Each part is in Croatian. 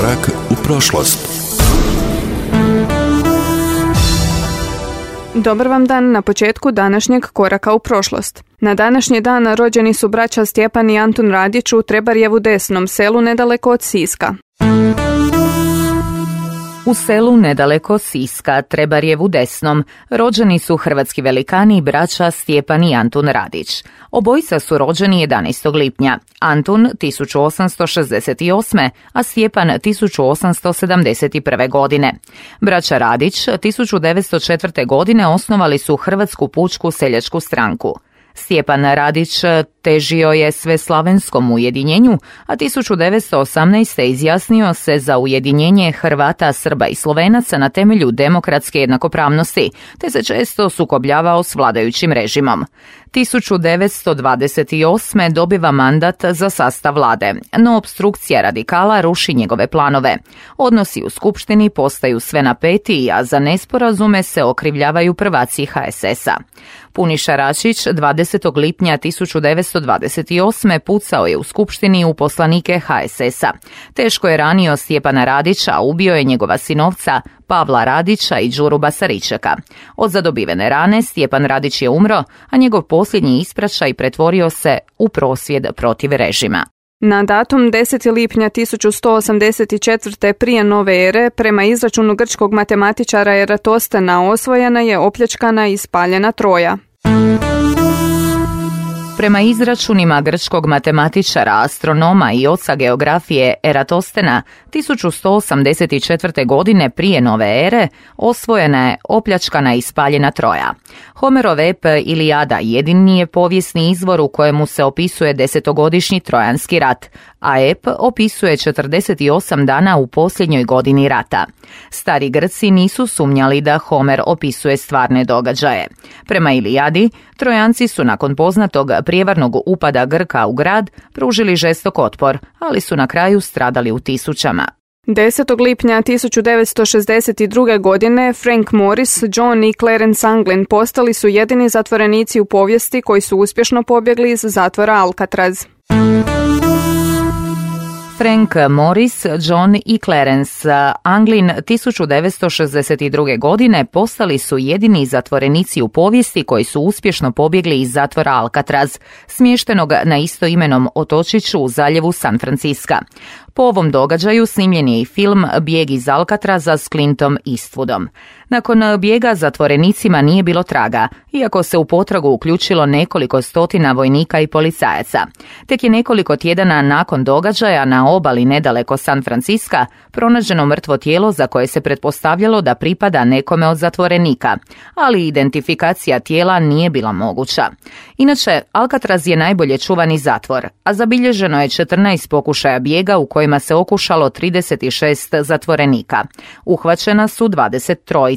Korak u prošlost. Dobar vam dan na početku današnjeg koraka u prošlost. Na današnji dan rođeni su braća Stjepan i Antun Radić u Trebarjevu Desnom, selu nedaleko od Siska. U selu nedaleko Siska, Trebarjevu Desnom, rođeni su hrvatski velikani i braća Stjepan i Antun Radić. Obojica su rođeni 11. lipnja, Antun 1868. a Stjepan 1871. godine. Braća Radić 1904. godine osnovali su Hrvatsku pučku seljačku stranku. Stjepan Radić težio je sveslavenskom ujedinjenju, a 1918. izjasnio se za ujedinjenje Hrvata, Srba i Slovenaca na temelju demokratske jednakopravnosti, te se često sukobljavao s vladajućim režimom. 1928. dobiva mandat za sastav vlade, no opstrukcija radikala ruši njegove planove. Odnosi u skupštini postaju sve napetiji, a za nesporazume se okrivljavaju prvaci HSS-a. Puniša Račić 20. lipnja 1928. pucao je u skupštini u poslanike HSS-a. Teško je ranio Stjepana Radića, a ubio je njegova sinovca Pavla Radića i Đuru Basaričeka. Od zadobivene rane Stjepan Radić je umro, a njegov posljednji ispraćaj pretvorio se u prosvjed protiv režima. Na datum 10. lipnja 1184. prije nove ere, prema izračunu grčkog matematičara Eratostena, osvojena je, opljačkana i spaljena Troja. Prema izračunima grčkog matematičara, astronoma i oca geografije Eratostena, 1184. godine prije nove ere osvojena je, opljačkana i spaljena Troja. Homerov ep Ilijada jedini je povijesni izvor u kojemu se opisuje 10-godišnji Trojanski rat, a ep opisuje 48 dana u posljednjoj godini rata. Stari Grci nisu sumnjali da Homer opisuje stvarne događaje. Prema Ilijadi, Trojanci su nakon poznatog prijevarnog upada Grka u grad pružili žestok otpor, ali su na kraju stradali u tisućama. 10. lipnja 1962. godine Frank Morris, John i Clarence Anglin postali su jedini zatvorenici u povijesti koji su uspješno pobjegli iz zatvora Alcatraz. Frank Morris, John i Clarence Anglin 1962. godine postali su jedini zatvorenici u povijesti koji su uspješno pobjegli iz zatvora Alcatraz, smještenog na istoimenom otočiću u zaljevu San Francisca. Po ovom događaju snimljen je i film Bijeg iz Alcatraza s Clintom Eastwoodom. Nakon bijega zatvorenicima nije bilo traga, iako se u potragu uključilo nekoliko stotina vojnika i policajaca. Tek je nekoliko tjedana nakon događaja na obali nedaleko San Francisca pronađeno mrtvo tijelo za koje se pretpostavljalo da pripada nekome od zatvorenika, ali identifikacija tijela nije bila moguća. Inače, Alcatraz je najbolje čuvani zatvor, a zabilježeno je 14 pokušaja bijega u kojima se okušalo 36 zatvorenika. Uhvaćena su 23.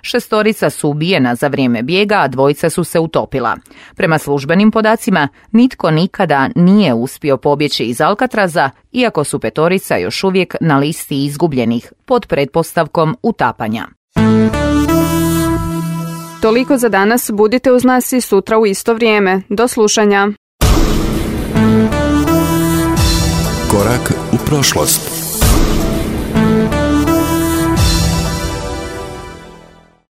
6 su ubijena za vrijeme bijega, a 2 su se utopila. Prema službenim podacima, nitko nikada nije uspio pobjeći iz Alcatraza, iako su 5 još uvijek na listi izgubljenih pod pretpostavkom utapanja. Toliko za danas, budite uz nas i sutra u isto vrijeme. Do slušanja. Korak u prošlost.